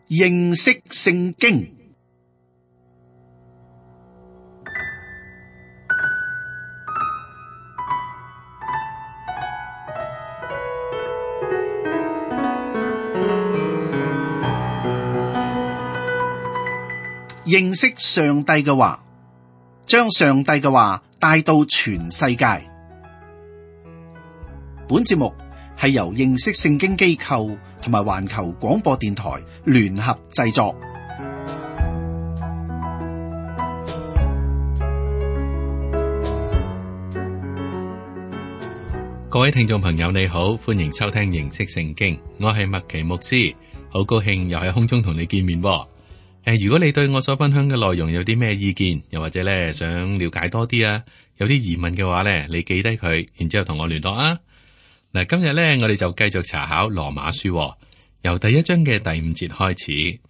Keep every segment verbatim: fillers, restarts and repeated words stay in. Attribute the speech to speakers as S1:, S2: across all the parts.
S1: 認識聖經。認識上帝嘅話，將上帝嘅話帶到全世界。本節目係由認識聖經機構同埋環球廣播電台聯合製作。
S2: 各位聽眾朋友你好，歡迎收聽認識聖經，我係麥奇牧師，好高興又喺空中同你見面。誒，如果你對我所分享嘅內容有啲咩意見，又或者咧想了解多啲啊，有啲疑問嘅話咧，你記低佢，然之後同我聯絡啊。嗱，今日咧我哋就繼續查考羅馬書，由第一章嘅第五節開始。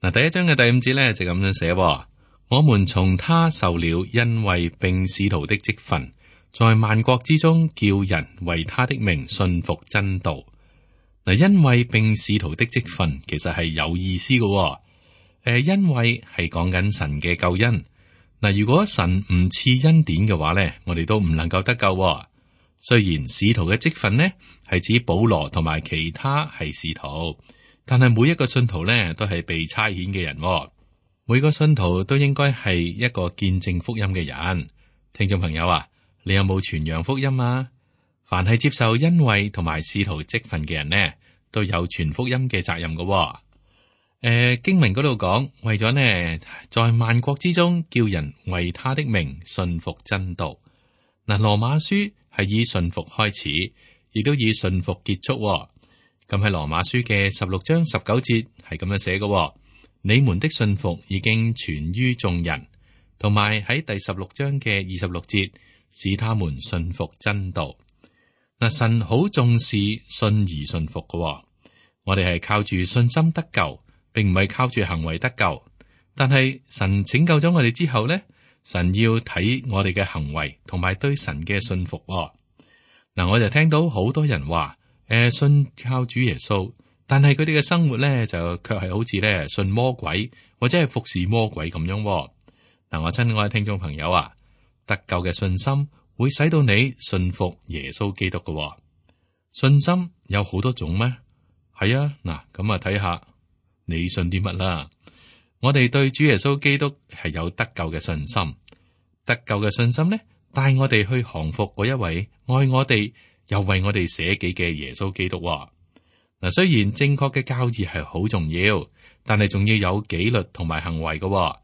S2: 嗱，第一章嘅第五節咧就咁樣寫：我們從他受了恩惠並使徒的職分，在萬國之中叫人為他的名信服真道。嗱，恩惠並使徒的職分其實係有意思嘅。誒，恩惠係講緊神嘅救恩。嗱，如果神唔賜恩典嘅話咧，我哋都唔能夠得救。雖然使徒嘅職分呢係指保羅同埋其他係使徒，但係每一個信徒咧都係被差遣嘅人。每個信徒都應該係一個見證福音嘅人。聽眾朋友啊，你有冇傳揚福音啊？凡係接受恩惠同埋使徒職分嘅人呢，都有傳福音嘅責任噶。誒、呃，經文嗰度講，為咗呢，在萬國之中叫人為他的名信服真道。嗱，羅馬書係以信服開始，亦都以信服結束。咁喺羅馬書嘅十六章十九節係咁樣寫嘅：你們的信服已經傳於眾人。同埋喺第十六章嘅二十六節，使他們信服真道。嗱，神好重視信而信服嘅。我哋係靠住信心得救，並唔係靠住行為得救，但係神拯救咗我哋之後咧，神要睇我哋嘅行為同埋對神嘅信服。嗱，我就聽到好多人話，誒、呃，信靠主耶穌，但係佢哋嘅生活咧就卻係好似咧信魔鬼或者係服侍魔鬼咁樣。嗱，我親愛嘅聽眾朋友啊，得救嘅信心會使到你信服耶穌基督嘅。信心有好多種咩？係啊，嗱，咁啊睇下。你信啲乜啦？我哋對主耶穌基督係有得救嘅信心，得救嘅信心呢，帶我哋去降服嗰一位愛我哋又為我哋捨己嘅耶穌基督。嗱，雖然正確嘅教義係好重要，但係仲要有紀律同埋行為嘅。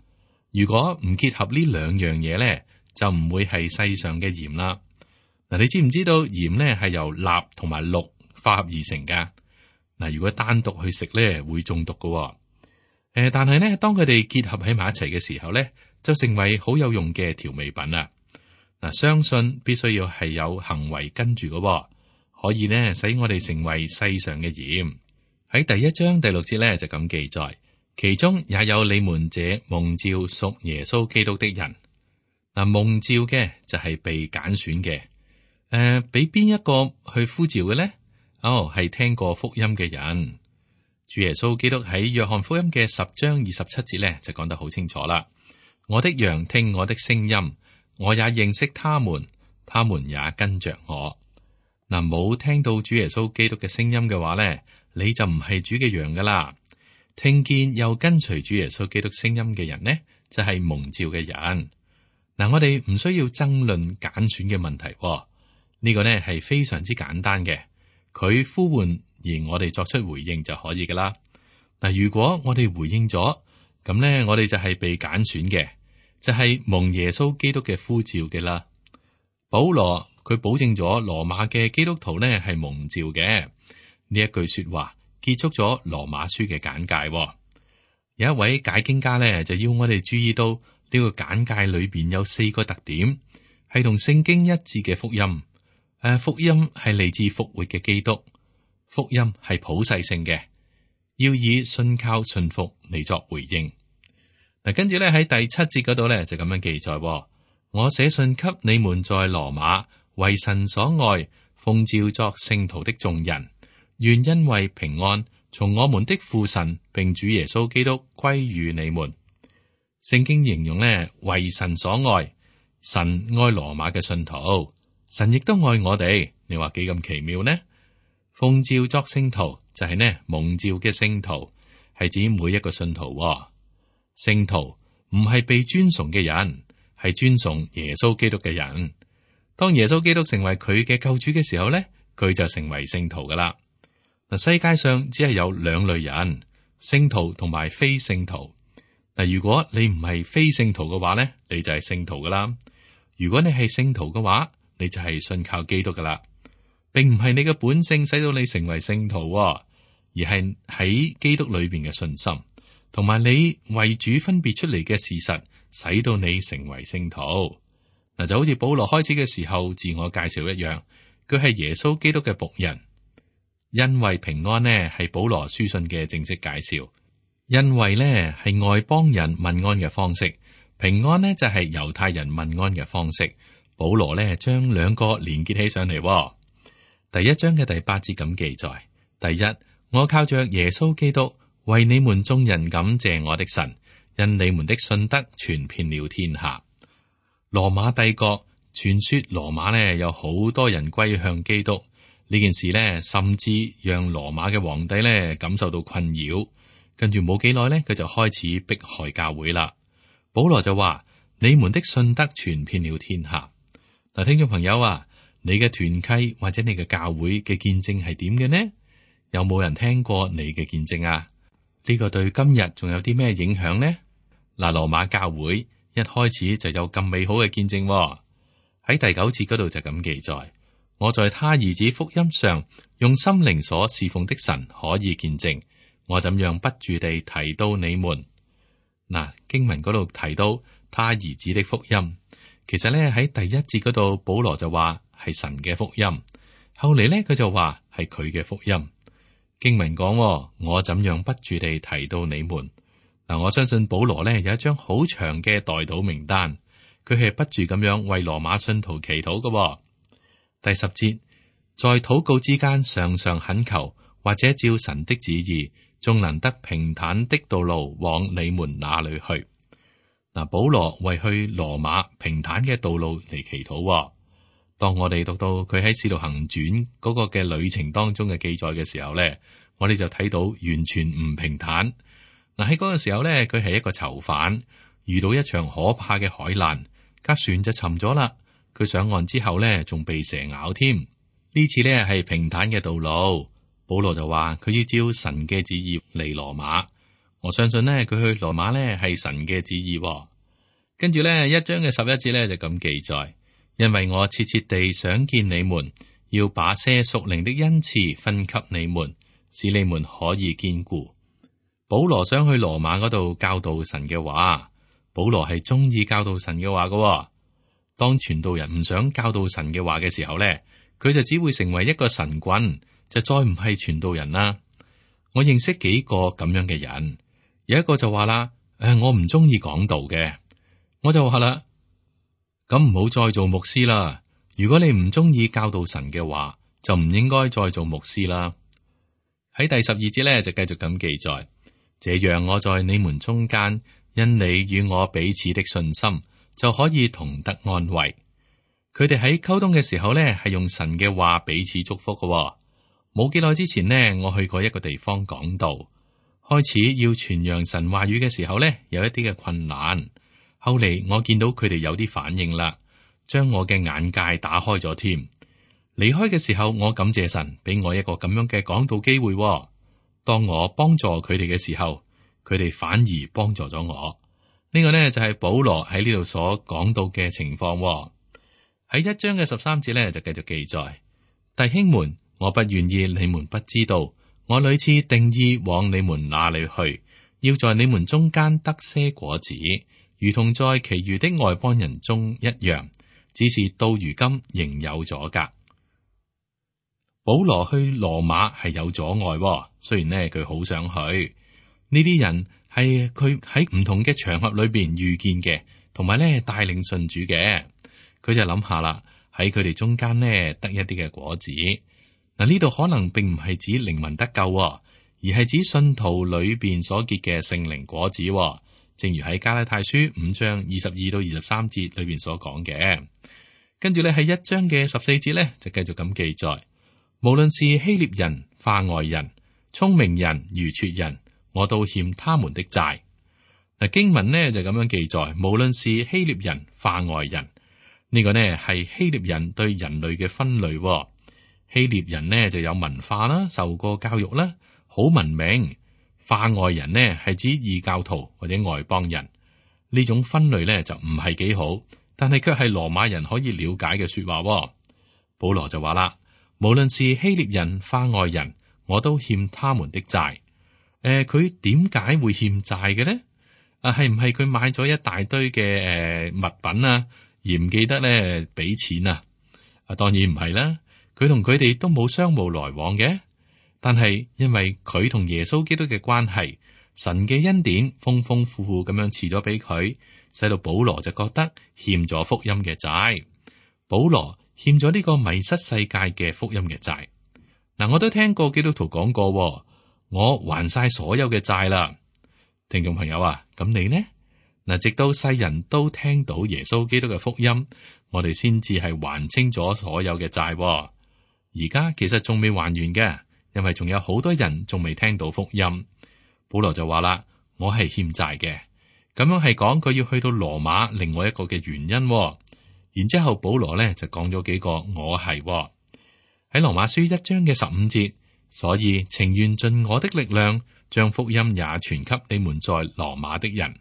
S2: 如果唔結合呢兩樣嘢咧，就唔會係世上嘅鹽啦。嗱，你知唔知道鹽咧係由鈉同埋氯化合而成噶？嗱，如果單獨去食咧，會中毒噶。誒，但係咧，當佢哋結合喺埋一齊嘅時候咧，就成為好有用嘅調味品啦。嗱，相信必須要係有行為跟住噶，可以咧使我哋成為世上嘅鹽。喺第一章第六節咧就咁記載，其中也有你們這蒙召屬耶穌基督的人。嗱，蒙召嘅就係被揀選嘅。誒、呃，俾邊一個去呼召嘅咧？哦，係聽過福音嘅人。主耶穌基督喺約翰福音嘅十章二十七節咧，就講得好清楚啦。我的羊聽我的聲音，我也認識他們，他們也跟着我。嗱，冇聽到主耶穌基督嘅聲音嘅話咧，你就唔係主嘅羊噶啦。聽見又跟隨主耶穌基督聲音嘅人呢，就係蒙召嘅人。嗱，我哋唔需要爭論揀選嘅問題，呢個呢係非常之簡單嘅。佢呼喚而我哋作出回應就可以噶啦。嗱，如果我哋回應咗，咁咧我哋就係被揀選嘅，就係蒙耶穌基督嘅呼召嘅啦。保羅佢保證咗羅馬嘅基督徒咧係蒙召嘅，呢一句說話結束咗羅馬書嘅簡介。有一位解經家咧就要我哋注意到呢個簡介裏邊有四個特點，係同聖經一致嘅福音。誒，福音係嚟自復活嘅基督，福音係普世性嘅，要以信靠信服嚟作回應。嗱，跟住咧喺第七節嗰度咧就咁樣記載：我寫信給你們在羅馬為神所愛，奉召作聖徒的眾人，願因為平安從我們的父神並主耶穌基督歸於你們。聖經形容呢，為神所愛，神愛羅馬嘅信徒，神亦都愛我哋。你話幾咁奇妙呢？奉召作聖徒就係呢蒙召嘅聖徒，係指每一個信徒喎。聖徒唔係被尊崇嘅人，係尊崇耶穌基督嘅人。當耶穌基督成為佢嘅救主嘅時候呢，佢就成為聖徒噶啦。嗱，世界上只係有兩類人，聖徒同埋非聖徒。嗱，如果你唔係非聖徒嘅話呢，你就係聖徒噶啦。如果你係聖徒嘅話，你就係信靠基督噶啦。並唔係你嘅本性使到你成為聖徒，而係喺基督裏邊嘅信心，同埋你為主分別出嚟嘅事實，使到你成為聖徒。嗱，就好似保羅開始嘅時候自我介紹一樣，佢係耶穌基督嘅僕人。因為平安呢係保羅書信嘅正式介紹，因為呢係外邦人問安嘅方式，平安呢就係猶太人問安嘅方式。保羅呢將兩個連結起上嚟。第一章嘅第八節咁記載：第一，我靠着耶穌基督為你們眾人感謝我的神，因你們的信德傳遍了天下。羅馬帝國傳說羅馬呢有好多人歸向基督，呢件事呢甚至讓羅馬嘅皇帝呢感受到困擾。跟住冇幾耐呢，佢就開始迫害教會啦。保羅就話：你們的信德傳遍了天下。嗱，聽眾朋友啊，你嘅團契或者你嘅教會嘅見證係點嘅呢？有冇人聽過你嘅見證啊？呢個對今日仲有啲咩影響呢？嗱，羅馬教會一開始就有咁美好嘅見證喎。喺第九節嗰度就咁記載：我在他兒子福音上用心靈所侍奉的神可以見證，我怎樣不住地提到你們。嗱，經文嗰度提到他兒子的福音。其實咧喺第一節嗰度，保羅就話係神嘅福音，後嚟咧佢就話係佢嘅福音。經文講：我怎樣不住地提到你們。嗱，我相信保羅咧有一張好長嘅代禱名單，佢係不住咁樣為羅馬信徒祈禱嘅。第十節，在禱告之間常常懇求，或者照神的旨意，仲能得平坦的道路往你們那裏去。嗱，保羅為去羅馬平坦嘅道路嚟祈禱。當我哋讀到佢喺使徒行傳嗰個嘅旅程當中嘅記載嘅時候咧，我哋就睇到完全唔平坦。嗱，喺嗰個時候咧，佢係一個囚犯，遇到一場可怕嘅海難，架船就沉咗啦。佢上岸之後咧，仲被蛇咬添。呢次咧係平坦嘅道路，保羅就話佢要照神嘅旨意嚟羅馬。我相信呢，佢去羅馬呢係神嘅旨意。跟住呢，一章嘅十一節呢就咁記載：因為我切切地想見你們，要把些屬靈的恩賜分給你們，使你們可以堅固。保羅想去羅馬嗰度教導神嘅話。保羅係中意教導神嘅話噶。當傳道人唔想教導神嘅話嘅時候呢，佢就只會成為一個神棍，就再唔係傳道人啦。我認識幾個咁樣嘅人。有一個就話啦，誒，我唔中意講道嘅，我就話啦，咁唔好再做牧師啦。如果你唔中意教導神嘅話，就唔應該再做牧師啦。喺第十二節咧就繼續咁記載：這樣我在你們中間，因你與我彼此的信心，就可以同得安慰。佢哋喺溝通嘅時候咧，係用神嘅話彼此祝福嘅。冇幾耐之前呢，我去過一個地方講道。開始要傳揚神話語嘅時候呢，有一啲嘅困難。後嚟我見到佢哋有啲反應啦，將我嘅眼界打開咗添。離開嘅時候，我感謝神俾我一個咁樣嘅講道機會。當我幫助佢哋嘅時候，佢哋反而幫助咗我。呢個呢，就係保羅喺呢度所講到嘅情況。喺一章嘅十三節呢，就繼續記載：弟兄們，我不願意你們不知道。我屢次定意往你們那裏去，要在你們中間得些果子，如同在其餘的外邦人中一樣。只是到如今仍有阻隔。保羅去羅馬係有阻礙，雖然呢佢好想去。呢啲人係佢喺唔同嘅場合裏邊遇見嘅，同埋呢帶領信主嘅。佢就諗下啦，喺佢哋中間呢得一啲嘅果子。嗱，呢度可能並唔係指靈魂得救，而而係指信徒裏邊所結嘅聖靈果子。正如喺加拉太書五章二十二到二十三節裏邊所講嘅。跟住咧喺一章嘅十四節咧就繼續咁記載，無論是希臘人、化外人、聰明人、愚拙人，我都欠他們的債。嗱，經文呢就咁樣記載，無論是希臘人、化外人，呢、這個呢係希臘人對人類嘅分類。希臘人呢就有文化啦，受過教育啦，好文明。化外人呢係指異教徒或者外邦人。呢種分類呢就唔係幾好，但係卻係羅馬人可以了解嘅說話。保羅就話啦，無論是希臘人、化外人，我都欠他們的債。誒、呃，佢點解會欠債嘅呢？啊，係唔係佢買咗一大堆嘅誒、呃、物品啊，而唔記得咧俾錢啊？啊，當然唔係啦，佢同佢哋都冇商務來往嘅。但係因為佢同耶穌基督嘅關係，神嘅恩典豐豐富富咁樣賜咗俾佢，使到保羅就覺得欠咗福音嘅債。保羅欠咗呢個迷失世界嘅福音嘅債。嗱，我都聽過基督徒講過，我還晒所有嘅債啦。聽眾朋友啊，咁你呢？嗱，直到世人都聽到耶穌基督嘅福音，我哋先至係還清咗所有嘅債。而家其實仲未還完嘅。因為仲有好多人仲未聽到福音，保羅就話啦，我係欠債嘅，咁樣係講佢要去到羅馬另外一個嘅原因。然之後保羅咧就講咗幾個我係喺羅馬書一章嘅十五節，所以情願盡我的力量，將福音也傳給你們在羅馬的人。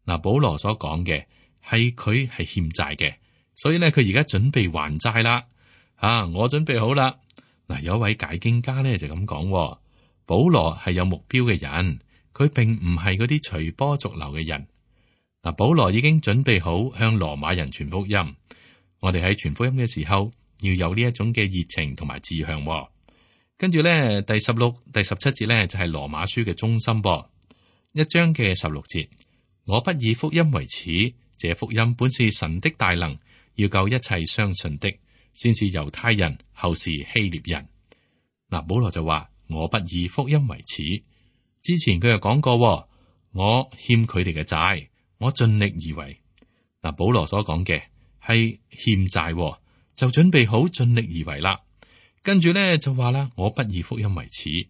S2: 嗱，保羅所講嘅係佢係欠債嘅，所以咧佢而家準備還債啦。啊，我準備好啦。嗱，有一位解經家咧就咁講，保羅係有目標嘅人，佢並唔係嗰啲隨波逐流嘅人。嗱，保羅已經準備好向羅馬人傳福音。我哋喺傳福音嘅時候要有呢一種嘅熱情同埋志向。跟住咧，第十六、第十七節咧就係羅馬書嘅中心噃。一章嘅十六節，我不以福音為恥，這福音本是神的大能，要救一切相信的，先是猶太人，後是希臘人。嗱，保羅就話我不以福音為恥。之前佢又講過，我欠佢哋嘅債，我盡力而為。嗱，保羅所講嘅係欠債，就準備好盡力而為啦。跟住咧就話啦，我不以福音為恥。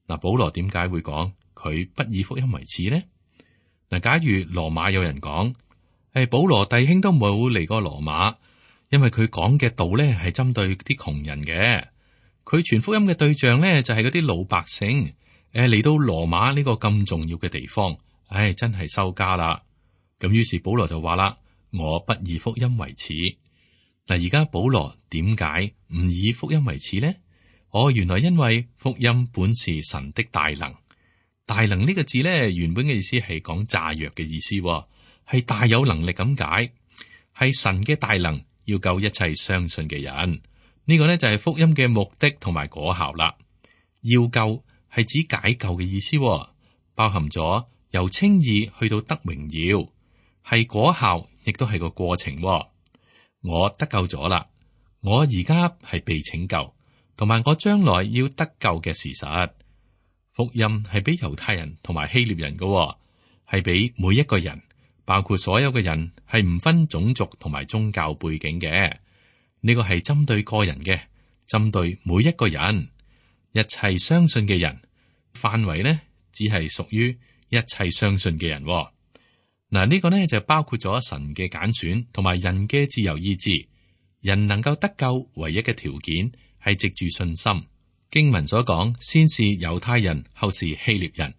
S2: 嗱，保羅點解會講佢不以福音為恥呢？嗱，假如羅馬有人講，誒，保羅弟兄都冇嚟過羅馬。因為佢講嘅道咧係針對啲窮人嘅，佢傳福音嘅對象咧就係嗰啲老百姓。誒，嚟到羅馬呢個咁重要嘅地方，唉，真係收家啦。咁於是保羅就話啦，我不以福音為恥。嗱，而家保羅點解唔以福音為恥呢？哦，原來因為福音本是神的大能。大能呢個字咧，原本嘅意思係講炸藥嘅意思，係大有能力咁解，係神嘅大能。要救一切相信嘅人，呢個呢就係福音嘅目的同埋果效啦。要救係指解救嘅意思，包含咗由稱義去到得榮耀，係果效，亦都係個過程。我得救咗啦，我而家係被拯救，同埋我將來要得救嘅事實。福音係俾猶太人同埋希臘人嘅，係俾每一個人。包括所有嘅人，係唔分種族同埋宗教背景嘅。呢個係針對個人嘅，針對每一個人，一切相信嘅人。範圍呢，只係屬於一切相信嘅人。嗱，呢個呢就包括咗神嘅揀選同埋人嘅自由意志。人能夠得救唯一嘅條件係藉住信心。經文所講，先是猶太人，後是希臘人。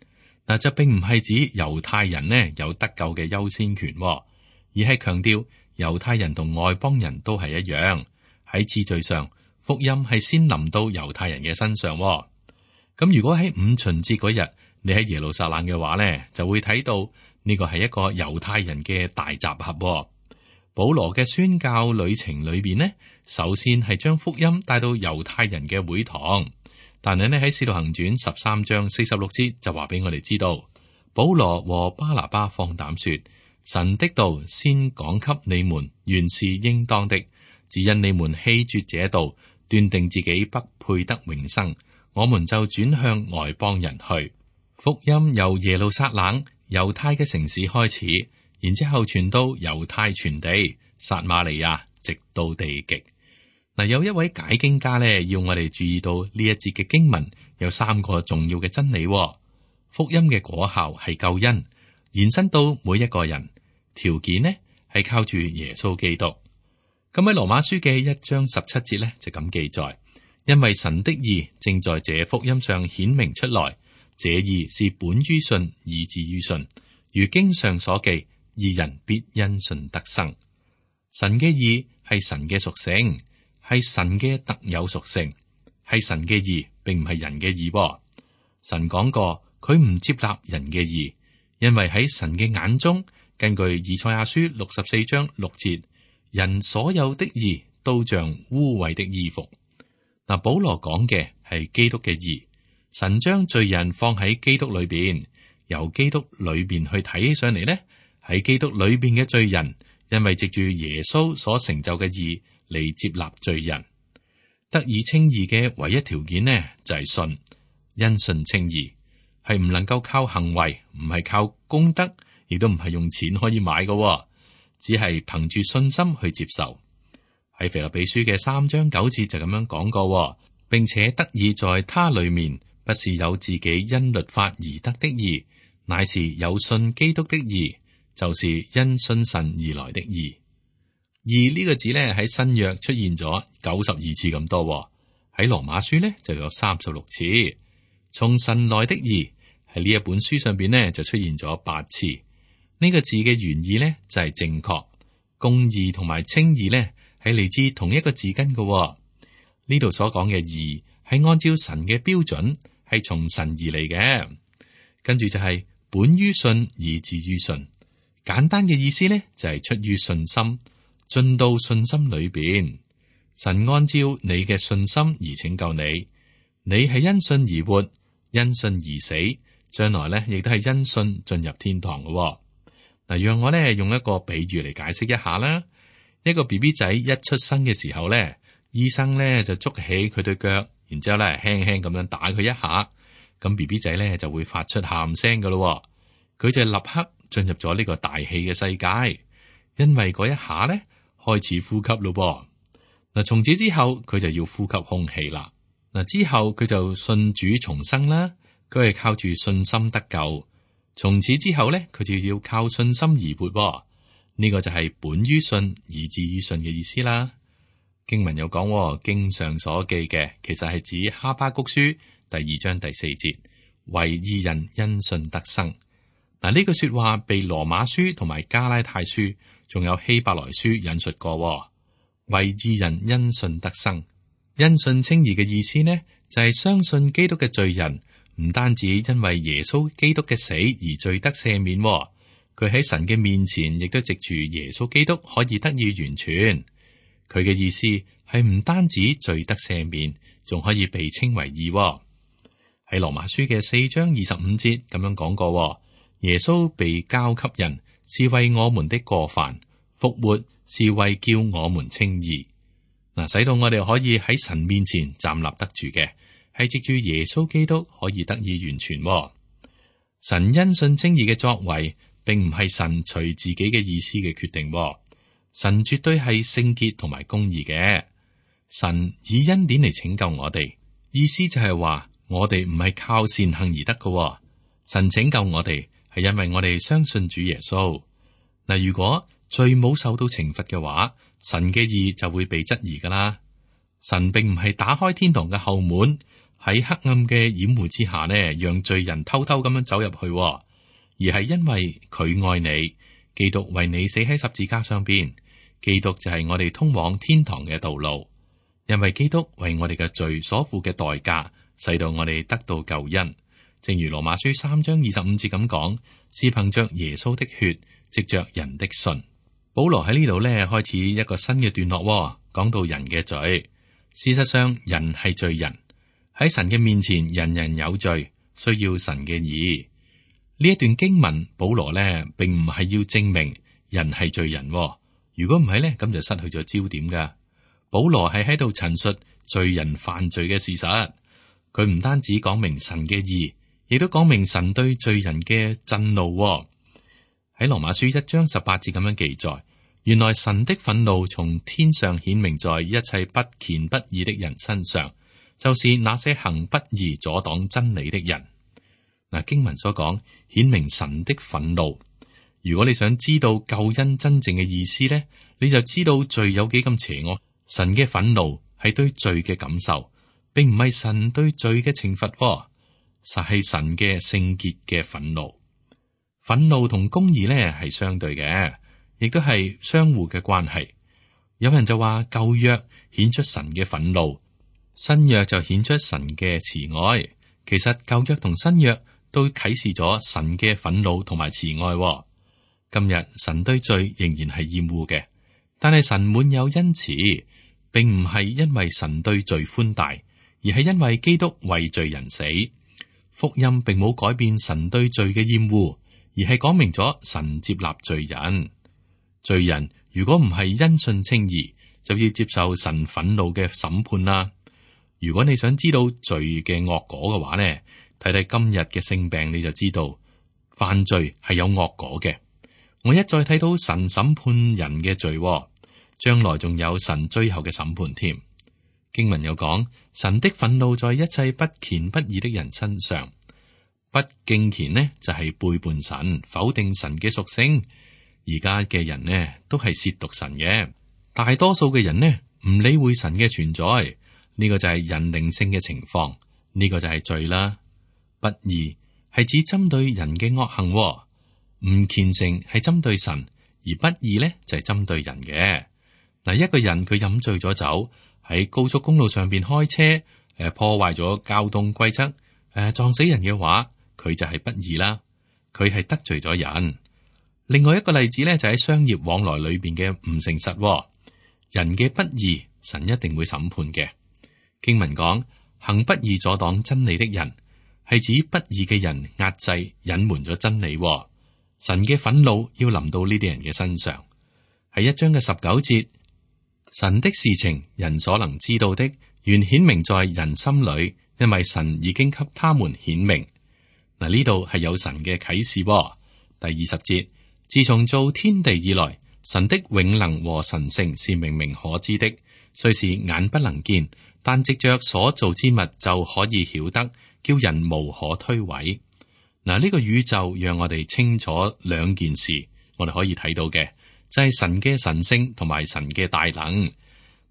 S2: 嗱，就並唔係指猶太人呢有得救嘅優先權，而係強調猶太人同外邦人都係一樣，喺次序上，福音係先臨到猶太人嘅身上。咁如果喺五旬節嗰日你喺耶路撒冷嘅話呢，就會睇到呢個係一個猶太人嘅大集合。保羅嘅宣教旅程裏邊呢，首先係將福音帶到猶太人嘅會堂。但係呢喺《使徒行傳》十三章四十六節就話俾我哋知道，保羅和巴拿巴放膽說，神的道先講給你們，原是應當的，只因你們棄絕這道，斷定自己不配得永生，我們就轉向外邦人去。福音由耶路撒冷猶太嘅城市開始，然之後傳到猶太全地撒瑪利亞，直到地極。嗱，有一位解經家咧，要我哋注意到呢一節嘅經文有三個重要嘅真理。福音嘅果效係救恩，延伸到每一個人。條件呢係靠住耶穌基督。咁喺羅馬書嘅一章十七節咧就咁記載，因為神的義正在這福音上顯明出來，這義是本於信以至於信，如經上所記，義人必因信得生。神嘅義係神嘅屬性，係神嘅特有屬性，係神嘅義，並唔係人嘅義。神講過，佢唔接納人嘅義，因為喺神嘅眼中，根據以賽亞書六十四章六節，人所有的義都像污穢的衣服。嗱，保羅講嘅係基督嘅義，神將罪人放喺基督裏邊，由基督裏邊去睇起上嚟呢，喺基督裏邊嘅罪人，因為藉住耶穌所成就嘅義嚟接納罪人，得以稱義嘅唯一條件呢就係信，因信稱義係唔能夠靠行為，唔係靠功德。亦都唔係用錢可以買嘅，只係憑住信心去接受。喺腓立比書嘅三章九節就咁樣講過，並且得以在他裏面，不是有自己因律法而得的義，乃是有信基督的義，就是因信神而來的義。義呢個字咧喺新約出現咗九十二次咁多，喺羅馬書咧就有三十六次。從神來的義喺呢一本書上邊咧就出現咗八次。呢個字嘅原意咧就係正確，公義同埋稱義咧係嚟自同一個字根嘅。呢度所講嘅義係按照神嘅標準，係從神而嚟嘅。跟住就係本於信以至於信，簡單嘅意思咧就係出於信心，進到信心裏邊。神按照你嘅信心而拯救你，你係因信而活，因信而死，將來咧亦都係因信進入天堂嘅。嗱，讓我咧用一個比喻嚟解釋一下啦。一個 B B 仔一出生嘅時候咧，醫生咧就捉起佢對腳，然之後咧輕輕咁樣打佢一下，咁 B B 仔咧就會發出喊聲噶咯。佢就立刻進入咗呢個大氣嘅世界，因為嗰一下咧開始呼吸咯。嗱，從此之後佢就要呼吸空氣啦。嗱，之後佢就信主重生啦，佢係靠住信心得救。從此之後咧，佢就要靠信心而活。呢、這個就係本於信以至於信嘅意思啦。經文有講，經上所記嘅，其實係指哈巴谷書第二章第四節，為義人因信得生。嗱，呢句說話被羅馬書同埋加拉太書，仲有希伯來書引述過。為義人因信得生，因信稱義嘅意思呢，就係、是、相信基督嘅罪人。唔單止因為耶穌基督嘅死而罪得赦免，佢喺神嘅面前亦都藉住耶穌基督可以得以完全。佢嘅意思係唔單止罪得赦免，仲可以被稱為義。喺羅馬書嘅四章二十五節咁樣講過，耶穌被交給人是為我們的過犯，復活是為叫我們稱義。嗱，使到我哋可以喺神面前站立得住嘅，係藉住耶穌基督可以得以完全。神因信稱義嘅作為，並唔係神隨自己嘅意思嘅決定。神絕對係聖潔同埋公義嘅。神以恩典嚟拯救我哋，意思就係話我哋唔係靠善行而得嘅。神拯救我哋係因為我哋相信主耶穌。嗱，如果罪冇受到懲罰嘅話，神嘅義就會被質疑噶啦。神並唔係打開天堂嘅後門，喺黑暗嘅掩護之下呢，讓罪人偷偷咁樣走入去，而係因為佢愛你，基督為你死喺十字架上邊，基督就係我哋通往天堂嘅道路。因為基督為我哋嘅罪所付嘅代價，使到我哋得到救恩。正如羅馬書三章二十五節咁講，是憑着耶穌的血，藉着人的信。保羅喺呢度咧開始一個新嘅段落，講到人嘅罪。事實上，人係罪人，喺神嘅面前，人人有罪，需要神嘅義。呢一段經文，保羅咧並唔係要證明人係罪人。如果唔係咧，咁就失去咗焦點噶。保羅係喺度陳述罪人犯罪嘅事實。佢唔單止講明神嘅義，亦都講明神對罪人嘅震怒。喺羅馬書一章十八節咁樣記載，原來神的憤怒從天上顯明在一切不虔不義的人身上，就是那些行不義阻擋真理的人。嗱，經文所講顯明神的憤怒。如果你想知道救恩真正嘅意思呢，你就知道罪有幾咁邪惡。神嘅憤怒係對罪嘅感受，並唔係神對罪嘅懲罰，實係神嘅聖潔嘅憤怒。憤怒同公義呢係相對嘅，亦都係相互嘅關係。有人就話舊約顯出神嘅憤怒，新約就顯出神嘅慈愛。其實舊約同新約都啟示咗神嘅憤怒同埋慈愛。今日神對罪仍然係厭惡嘅，但係神滿有恩慈，並唔係因為神對罪寬大，而係因為基督為罪人死。福音並冇改變神對罪嘅厭惡，而係講明咗神接納罪人。罪人如果唔係因信稱義，就要接受神憤怒嘅審判啦。如果你想知道罪嘅惡果嘅話呢，睇睇今日嘅性病，你就知道犯罪係有惡果嘅。我一再睇到神審判人嘅罪，將來仲有神最後嘅審判添。經文有講，神的憤怒在一切不虔不義的人身上。不敬虔呢，就係背叛神，否定神嘅屬性。而家嘅人呢，都係褻瀆神嘅。大多數嘅人呢，唔理會神嘅存在，呢個就係人靈性嘅情況，呢個就係罪啦。不義係指針對人嘅惡行。唔虔誠係針對神，而不義咧就係針對人嘅。嗱，一個人佢飲醉咗酒喺高速公路上邊開車，誒破壞咗交通規則，誒撞死人嘅話，佢就係不義啦。佢係得罪咗人。另外一個例子咧就喺商業往來裏邊嘅唔誠實，人嘅不義，神一定會審判嘅。經文講，行不義阻擋真理的人，係指不義嘅人壓制隱瞞咗真理。神嘅憤怒要臨到呢啲人嘅身上，係一章嘅十九節。神的事情，人所能知道的，原顯明在人心裏，因為神已經給他們顯明。嗱，呢度係有神嘅啟示。第二十節，自從造天地以來，神的永能和神性是明明可知的，雖是眼不能見，但藉着所造之物就可以曉得，叫人無可推諉。嗱，呢個宇宙讓我哋清楚兩件事，我哋可以睇到嘅就係神嘅神性同埋神嘅大能。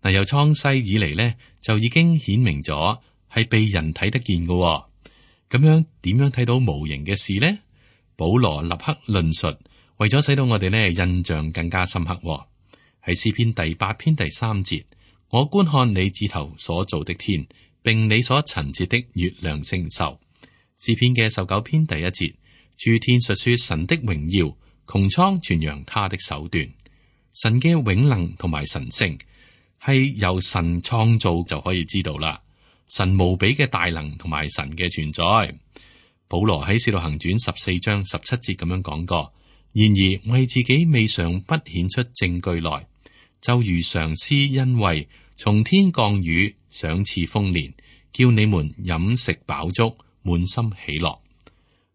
S2: 嗱，由創世以嚟呢，就已經顯明咗係被人睇得見嘅。咁樣點樣睇到無形嘅事呢？保羅立刻論述，為咗使到我哋呢印象更加深刻。喺詩篇第八篇第三節，我觀看你指頭所造的天，並你所陳設的月亮星宿。詩篇嘅十九篇第一節，諸天述說神的榮耀，穹蒼傳揚他的手段。神嘅永能同埋神性係由神創造就可以知道啦。神無比嘅大能同埋神嘅存在。保羅喺使徒行傳十四章十七節咁樣講過，然而為自己未嘗不顯出證據來，就如常施恩惠，從天降雨，賞賜豐年，叫你們飲食飽足，滿心喜樂。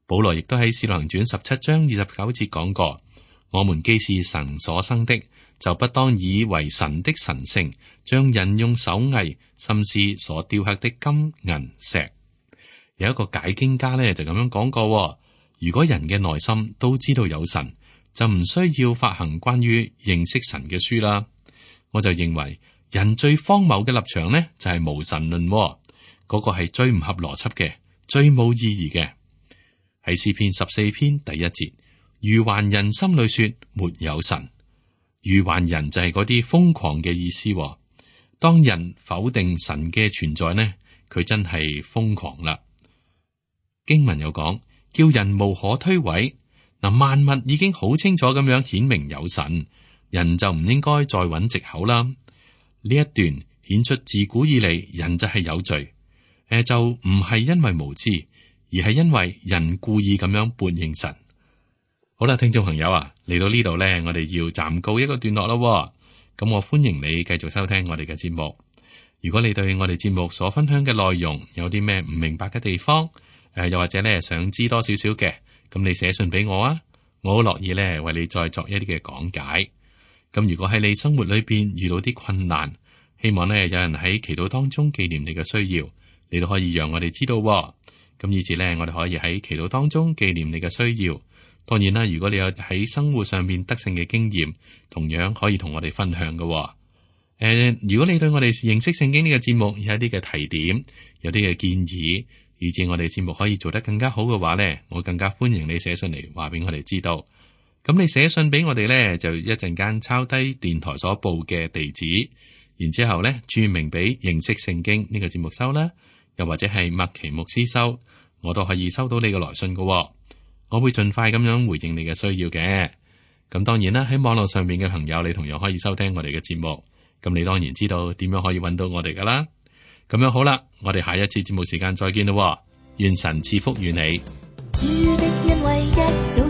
S2: 保羅亦都喺《使徒行傳》十七章二十九節講過，我們既是神所生的，就不當以為神的神性像人用手藝甚至所雕刻的金銀石。有一個解經家咧就咁樣講過，如果人嘅內心都知道有神，就唔需要發行關於認識神嘅書啦。我就認為人最荒謬嘅立場呢，就係無神論，嗰個係最唔合邏輯嘅，最冇意義嘅。喺詩篇十四篇第一節，愚頑人心裏說沒有神。愚頑人就係嗰啲瘋狂嘅意思。當人否定神嘅存在呢，佢真係瘋狂啦。經文有講，叫人無可推諉。嗱，萬物已經好清楚咁樣顯明有神，人就唔應該再揾藉口啦。呢一段顯出自古以嚟人就係有罪，誒就唔係因為無知，而係因為人故意咁樣悖逆神。好啦，聽眾朋友啊，嚟到呢度咧，我哋要暫告一個段落咯。咁我歡迎你繼續收聽我哋嘅節目。如果你對我哋節目所分享嘅內容有啲咩唔明白嘅地方，誒、呃，又或者咧想知多少少嘅，咁你寫信俾我啊，我好樂意咧為你再作一啲嘅講解。咁如果喺你生活裏邊遇到啲困難，希望咧有人喺祈禱當中紀念你嘅需要，你都可以讓我哋知道、哦。咁以至咧，我哋可以喺祈禱當中紀念你嘅需要。當然啦，如果你有喺生活上面得勝嘅經驗，同樣可以同我哋分享嘅、哦。誒、呃，如果你對我哋認識聖經呢個節目有一啲嘅提點，有啲嘅建議，以至我哋節目可以做得更加好嘅話咧，我更加歡迎你寫信嚟話俾我哋知道。咁你寫信俾我哋咧，就一陣間抄低電台所報嘅地址，然之後咧注明俾認識聖經呢個節目收啦，又或者係麥奇牧師收，我都可以收到你嘅來信嘅、哦。我會盡快咁樣回應你嘅需要嘅。咁當然啦，喺網絡上面嘅朋友，你同樣可以收聽我哋嘅節目。咁你當然知道點樣可以揾到我哋噶啦。咁樣好啦，我哋下一次節目時間再見咯。願神賜福於你。主的恩惠一早